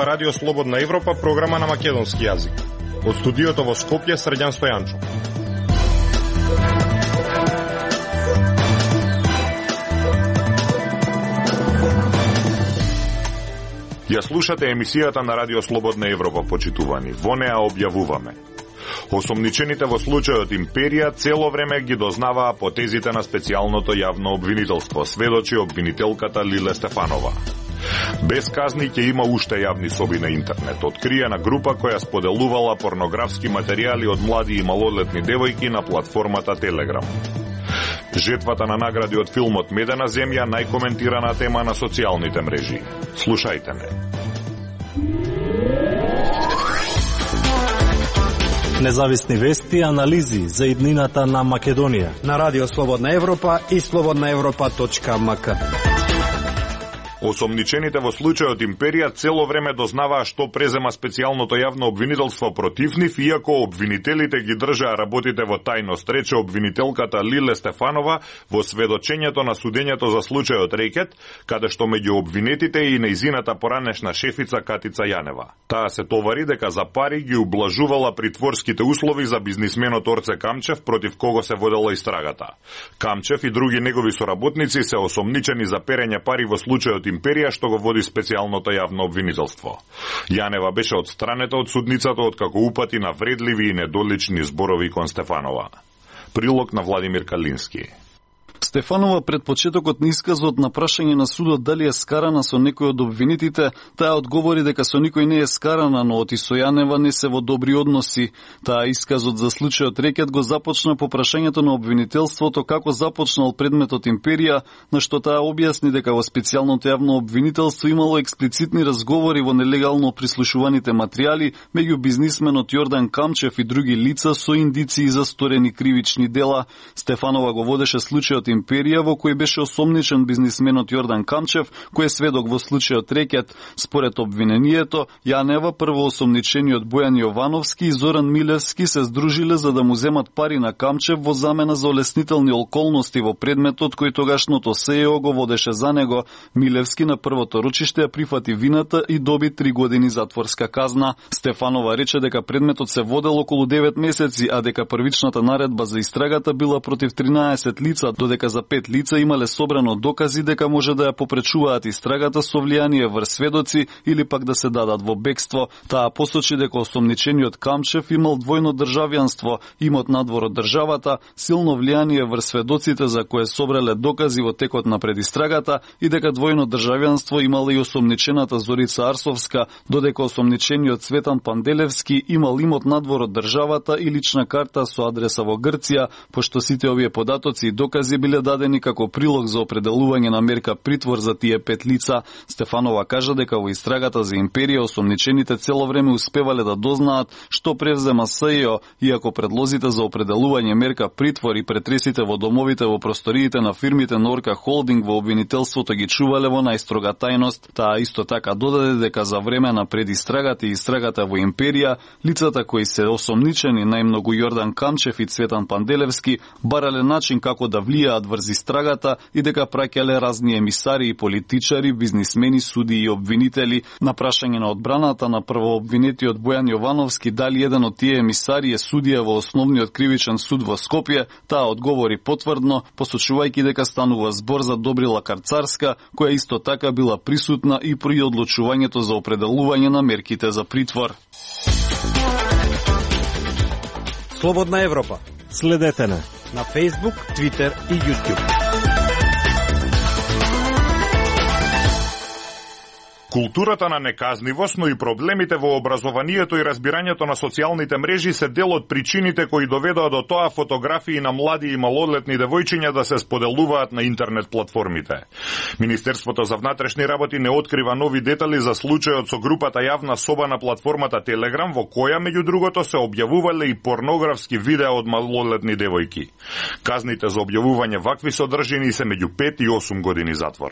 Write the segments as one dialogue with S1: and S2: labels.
S1: слушнува Радио Слободна Европа, програма на македонски јазик. Од студиото во Скопје, Срđan Стојанчов. Ја слушате емисијата на Радио Слободна Европа, почитувани. Во неа објавуваме: осомничените во случајот Империја цело време ги дознаваа потезите на специјалното јавно обвинителство, сведочи обвинителката Лиле Стефанова. Без казни ќе има уште јавни соби на интернет. Откриена група која споделувала порнографски материјали од млади и малолетни девојки на платформата Телеграм. Жетвата на награди од филмот Медена земја, најкоментирана тема на социјалните мрежи. Слушајте ме.
S2: Независни вести и анализи за иднината на Македонија
S3: на Радио Слободна Европа и slobodnaevropa.mk.
S1: Осомничените во случајот Империја цело време дознаваа што презема специјалното јавно обвинителство против нив, иако обвинителите ги држаа работите во тајност, рече обвинителката Лиле Стефанова во сведочењето на судењето за случајот Рекет, каде што меѓу обвинетите и нејзината поранешна шефица Катица Јанева. Таа се товари дека за пари ги ублажувала притворските услови за бизнисменот Орце Камчев, против кого се водела истрагата. Камчев и други негови соработници се осомничени за перење пари во случајот Империја, што го води специјалното јавно обвинителство. Јанева беше отстранета од судницата откако упати на вредливи и недолични зборови кон Стефанова. Прилог на Владимир Калински.
S4: Стефанова пред почетокот на исказот на прашање на судот дали е скарана со некој од обвинетите, таа одговори дека со никој не е скарана, но оти со Јанева не се во добри односи. Таа исказот за случајот Рекет го започна по прашањето на обвинителството како започнал предметот Империја, на што таа објасни дека во специјалното јавно обвинителство имало експлицитни разговори во нелегално прислушуваните материјали меѓу бизнисменот Јордан Камчев и други лица со индиции за сторени кривични дела. Стефанова го водеше случајот Империја, во кој беше осомничен бизнисменот Јордан Камчев, кој е сведок во случајот Рекет. Според обвинението, Јанева, прво осомничениот Бојан Јовановски и Зоран Милевски се здружиле за да му земат пари на Камчев во замена за олеснителни околности во предметот кој тогашното СЕО го водеше за него. Милевски на првото рочиште ја прифати вината и доби 3 години затворска казна. Стефанова рече дека предметот се водел околу 9 месеци, а дека првичната наредба за истрагата била против 13 лица, додека за 5 лица имале собрано докази дека може да ја попречуваат истрагата со влијание врз сведоци или пак да се дадат во бегство. Таа посочи дека осомничениот Камчев имал двојно државјанство, имот надвор од државата, силно влијание врз сведоците за кое собрале докази во текот на предистрагата и дека двојно државјанство имала и осомничената Зорица Арсовска, додека осомничениот Цветан Панделевски имал имот надвор од државата и лична карта со адреса во Грција, пошто сите овие податоци и докази биле дадени како прилог за определување на мерка притвор за тие 5 лица. Стефанова кажа дека во истрагата за Империја осомничените цело време успевале да дознаат што превзема СЕО, иако предлозите за определување мерка притвор и претресите во домовите во просториите на фирмите Норка Холдинг во обвинителството ги чувале во најстрога тајност. Таа исто така додаде дека за време на предистрагата и истрагата во Империја, лицата кои се осомничени, најмногу Јордан Камчев и Цветан Панделевски, барале начин како да влијаат врз истрагата и дека праќале разни емисари и политичари, бизнисмени, суди и обвинители. На прашање на одбраната на првообвинетиот Бојан Јовановски дали еден од тие емисари е судија во Основниот кривичен суд во Скопје, таа одговори потврдно, посочувајќи дека станува збор за Добрила Карцарска, која исто така била присутна и при одлучувањето за определување на мерките за притвор.
S3: Слободна Европа.
S2: Следете на
S3: Facebook, Twitter и YouTube.
S1: Културата на неказнивост, но и проблемите во образованието и разбирањето на социјалните мрежи се дел од причините кои доведоа до тоа фотографии на млади и малолетни девојчиња да се споделуваат на интернет платформите. Министерството за внатрешни работи не открива нови детали за случајот со групата јавна соба на платформата Телеграм, во која меѓу другото се објавувале и порнографски видеа од малолетни девојки. Казните за објавување вакви содржини се меѓу 5 и 8 години затвор.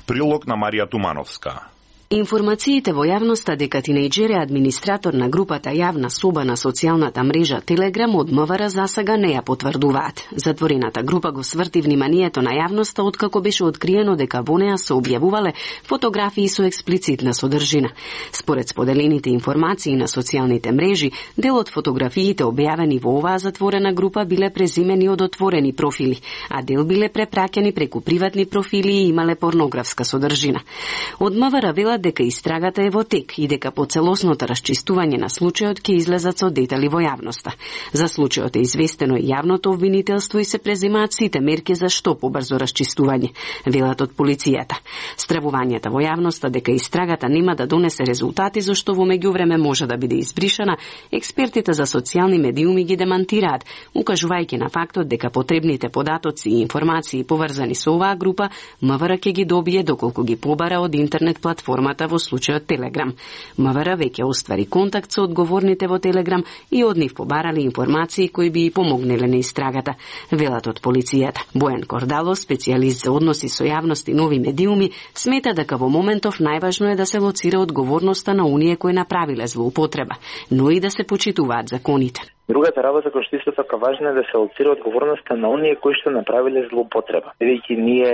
S1: Прилог на Марија Тумановска.
S5: Информациите во јавноста дека тинејџер е администратор на групата Јавна соба на социјалната мрежа Телеграм од МВР засега не ја потврдуваат. Затворената група го сврти вниманието на јавноста откако беше откриено дека во неа се објавувале фотографии со експлицитна содржина. Според споделените информации на социјалните мрежи, дел од фотографиите објавени во оваа затворена група биле преземени од отворени профили, а дел биле препраќани преку приватни профили и имале порнографска содржина. Од МВР велат дека истрагата е во тек и дека по целосното расчистување на случајот ќе излезат со детали во јавноста. За случајот е известено и јавното обвинителство и се преземаат сите мерки за што побрзо расчистување, велат од полицијата. Стравувањата во јавноста дека истрагата нема да донесе резултати зашто во меѓувреме може да биде избришана, експертите за социјални медиуми ги демантираат, укажувајќи на фактот дека потребните податоци и информации поврзани со оваа група МВР ќе ги добие доколку ги побара од интернет платформата во случајот Телеграм. МВР веќе оствари контакт со одговорните во Телеграм и од нив побарали информации кои би помогнеле на истрагата, велат од полицијата. Бојан Кордало, специјалист за односи со јавност и нови медиуми, смета дека во моментов најважно е да се лоцира одговорноста на оние кои направиле злоупотреба, но и да се почитуваат законите.
S6: Другата работа која што исто така важна е да се лоцира одговорноста на оние кои што направиле злоупотреба. Бидејќи ние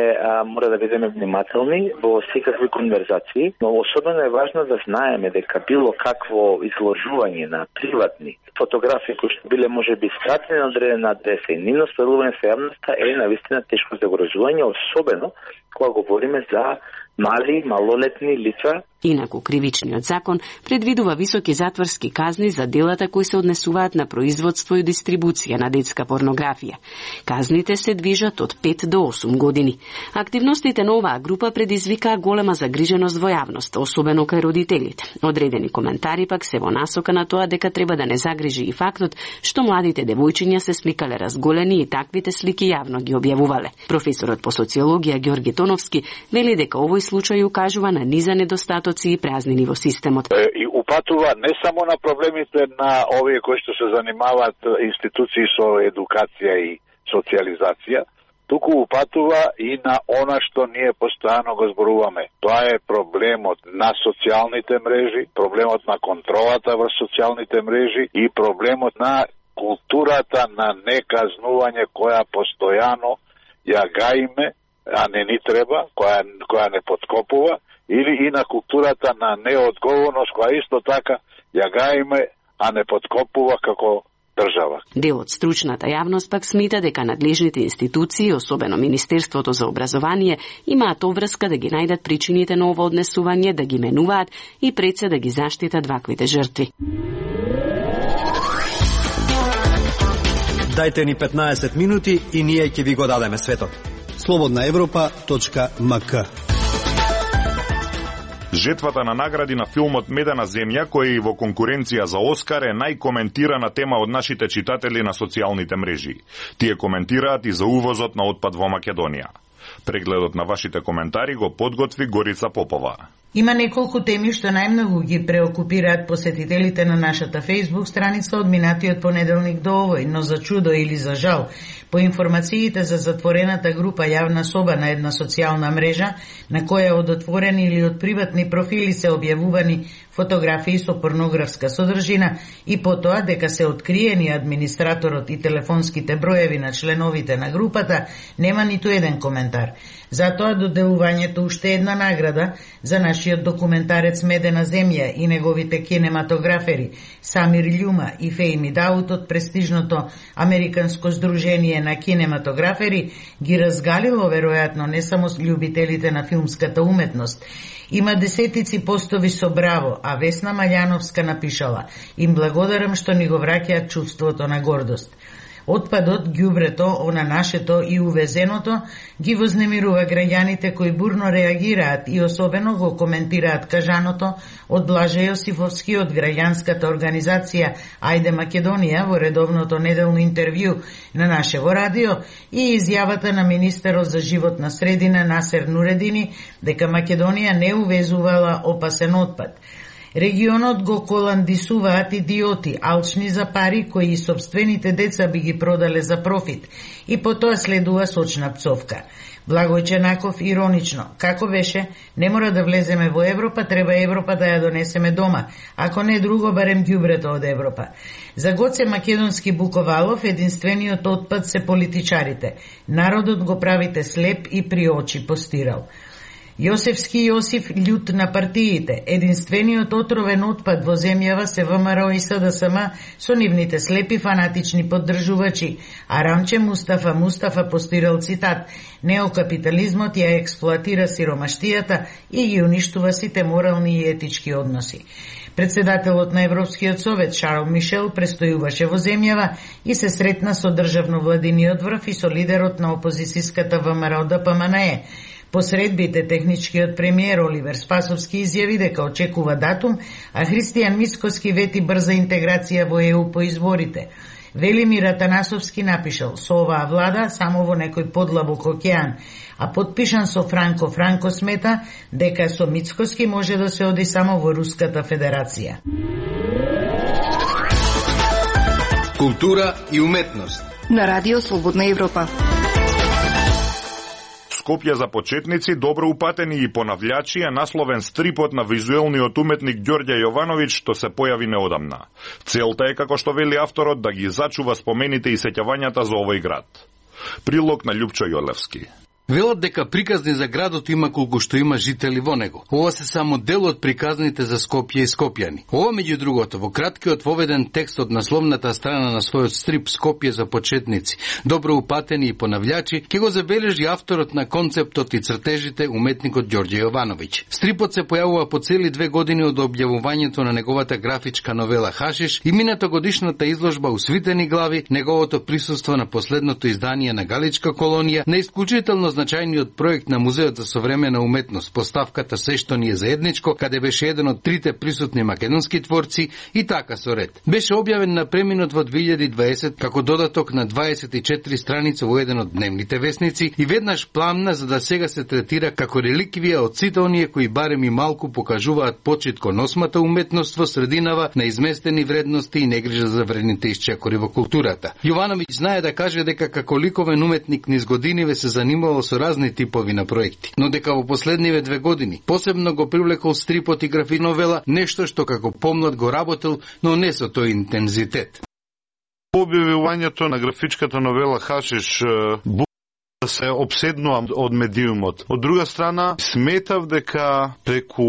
S6: мора да бидеме внимателни во секакви конверзации, но особено е важно да знаеме дека било какво изложување на приватни фотографии кои што биле можеби скратени на одредена адреса и нивно споделување со јавноста е навистина тешко загрозување, особено кога говориме за мали, малолетни лица.
S5: Инаку, кривичниот закон предвидува високи затворски казни за делата кои се однесуваат на производство и дистрибуција на детска порнографија. Казните се движат од 5 до 8 години. Активностите на оваа група предизвикаа голема загриженост во јавноста, особено кај родителите. Одредени коментари пак се во насока на тоа дека треба да не загрижи и фактот што младите девојчиња се сликале разголени и таквите слики јавно ги објавувале. Професорот по социологија Ѓорги Тоновски вели дека овој случај укажува на низа недостатоци и празнини во системот.
S7: И упатува не само на проблемите на овие кои што се занимаваат институции со едукација и социјализација, туку упатува и на она што ние постојано го зборуваме. Тоа е проблемот на социјалните мрежи, проблемот на контролата врз социјалните мрежи и проблемот на културата на неказнување која постојано ја гаиме, а не ни треба, која не подкопува, или и на културата на неодговорност, која исто така ја гаиме, а не подкопува како држава.
S5: Дел од стручната јавност пак смета дека надлежните институции, особено Министерството за образование, имаат обврска да ги најдат причините на ова однесување, да ги менуваат и пред се да ги заштитат ваквите жртви.
S3: Дајте ни 15 минути и ние ќе ви го дадеме светот. slobodnaevropa.mk.
S1: Жетвата на награди на филмот Медена земја, кој во конкуренција за Оскар е најкоментирана тема од нашите читатели на социјалните мрежи. Тие коментираат и за увозот на отпад во Македонија. Прегледот на вашите коментари го подготви Горица Попова.
S8: Има неколку теми што најмногу ги преокупираат посетителите на нашата Facebook страница од минатиот понеделник до овој, но за чудо или за жал, по информациите за затворената група Јавна соба на една социјална мрежа, на која од отворени или од приватни профили се објавувани фотографии со порнографска содржина и потоа дека се откриени администраторот и телефонските броеви на членовите на групата, нема ниту еден коментар. Затоа доделувањето уште една награда за нашиот документарец Медена земја и неговите кинематографери Самир Љума и Фејми Даут од престижното Американско здружение на кинематографери ги разгалило веројатно не само љубителите на филмската уметност. Има десетици постови со браво, а Весна Маљановска напишала: "Им благодарам што ни го враќаат чувството на гордост." Отпадот, ѓубрето, она нашето и увезеното ги вознемирува граѓаните кои бурно реагираат и особено го коментираат кажаното од Блаже Јосифовски од граѓанската организација Ајде Македонија во редовното неделно интервју на нашево радио и изјавата на министерот за животна средина Насер Нуредини дека Македонија не увезувала опасен отпад. Регионот го коландисуваат идиоти, алчни за пари, кои и собствените деца би ги продале за профит, и потоа следува сочна пцовка. Благој Ченаков иронично: како беше, не мора да влеземе во Европа, треба Европа да ја донесеме дома, ако не друго, барем ѓубрето од Европа. За Гоце Македонски Буковалов единствениот отпад се политичарите. Народот го правите слеп и при очи, постирал. Јосефски Јосиф љут на партиите. Единствениот отровен отпад во земјава се ВМРО и СДСМ со нивните слепи фанатични поддржувачи. А Рамче Мустафа постирал цитат: неокапитализмот ја експлоатира сиромаштијата и ги уништува сите морални и етички односи. Председателот на Европскиот совет Шарл Мишел престојуваше во земјава и се сретна со државно-владиниот врв и со лидерот на опозицијската ВМРО ДПМНЕ. Посредбите техничкиот премиер Оливер Спасовски изјави дека очекува датум, а Христијан Мицкоски вети брза интеграција во ЕУ по изборите. Велимир Атанасовски напишал: со оваа влада само во некој подлабок океан, а подпишан со Франко. Франко смета дека со Мицкоски може да се оди само во Руската Федерација.
S9: Култура и уметност
S10: на Радио Слободна Европа.
S1: Скопје за почетници, добро упатени и понављачи е насловен стрипот на визуелниот уметник Ѓорѓе Јовановиќ, што се појави неодамна. Целта е, како што вели авторот, да ги зачува спомените и сеќавањата за овој град. Прилог на Љупчо Јолевски.
S9: Велат дека приказни за градот има колку што има жители во него. Ова се само дел од приказните за Скопје и скопјани. Ова, меѓу другото, во краткиот воведен текст од насловната страна на својот стрип Скопје за почетници, добро упатени и понављачи, ќе го забележи авторот на концептот и цртежите, уметникот Ѓорѓе Јовановиќ. Стрипот се појавува по цели 2 години од објавувањето на неговата графичка новела Хашиш и мината годишната изложба Усвитени глави, неговото присуство на последното издание на Галичка колонија, на исклучително значајниот проект на Музеот за современа уметност, поставката Се што ни е заедничко, каде беше еден од 3 присутни македонски творци и така со ред. Беше објавен на преминот во 2020 како додаток на 24 страница во еден од дневните весници и веднаш пламна за да сега се третира како реликвија од сите оние кои барем и малку покажуваат почит кон осмата уметност во срединава на изместени вредности и негрижа за вредните исчекори во културата. Јовановиќ знае да каже дека како ликовен уметник низ годиниве се занимавал со разни типови на проекти, но дека во последниве 2 години посебно го привлекол стрипот и графична новела, нешто што како помлад го работел, но не со тој интензитет.
S11: Објавувањето на графичката новела Хашиш да се обседнувам од медиумот. Од друга страна, сметав дека преку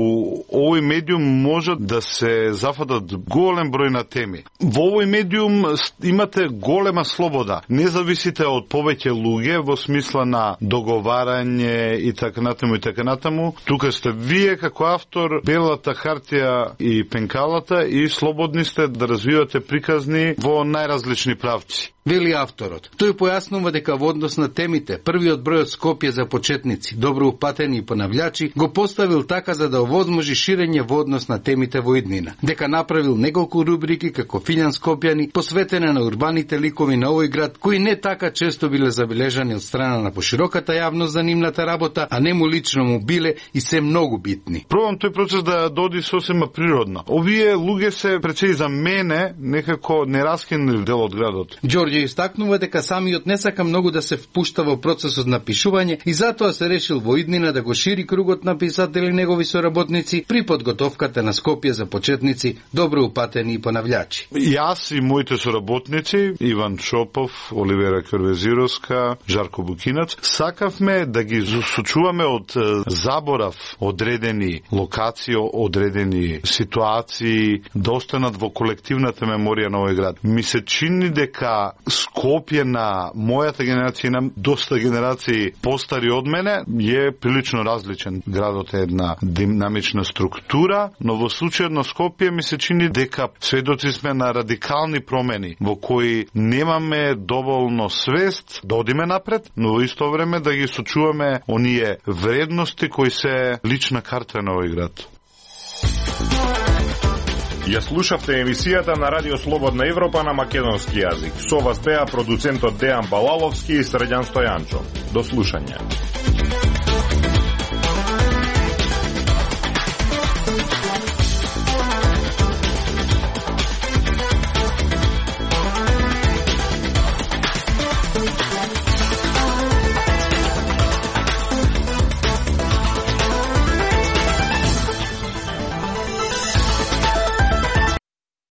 S11: овој медиум можат да се зафатат голем број на теми. Во овој медиум имате голема слобода. Не зависите од повеќе луѓе во смисла на договарање и така натаму и така натаму. Тука сте вие како автор, белата хартија и пенкалата и слободни сте да развивате приказни во најразлични правци.
S9: Вели авторот. Тој појаснува дека во однос на темите, првиот број од Скопје за почетници, добро упатени и понављачи, го поставил така за да овозможи ширење во однос на темите во иднина. Дека направил неколку рубрики како Филјан Скопјани, посветена на урбаните ликови на овој град, кои не така често биле забележани од страна на пошироката јавност за нивната работа, а не му лично му биле и се многу битни.
S11: Пробам тој процес да доди сосема природно. Овие луѓе се пречи за мене некако нераскинен дел од градот.
S9: Ѓорѓе истакнува дека самиот не сака многу да се впушта во процесот на пишување и затоа се решил во иднина да го шири кругот на писатели негови соработници при подготовката на Скопје за почетници, добро упатени и понављачи.
S11: Јас и моите соработници, Иван Шопов, Оливера Кервезировска, Жарко Букинац, сакавме да ги сочуваме од заборав одредени локации, одредени ситуации, да останат во колективната меморија на овој град. Ми се чини дека Скопје на мојата генерација и на доста генерации постари од мене е прилично различен. Градот е една динамична структура, но во случајот на Скопје ми се чини дека сведоци сме на радикални промени во кои немаме доволно свест да одиме напред, но во исто време да ги сочуваме оние вредности кои се лична карта на овој град.
S1: Ја слушавте емисијата на Радио Слободна Европа на македонски јазик. Со вас беа продуцентот Дејан Балаловски и Средјан Стојанчо. До слушање.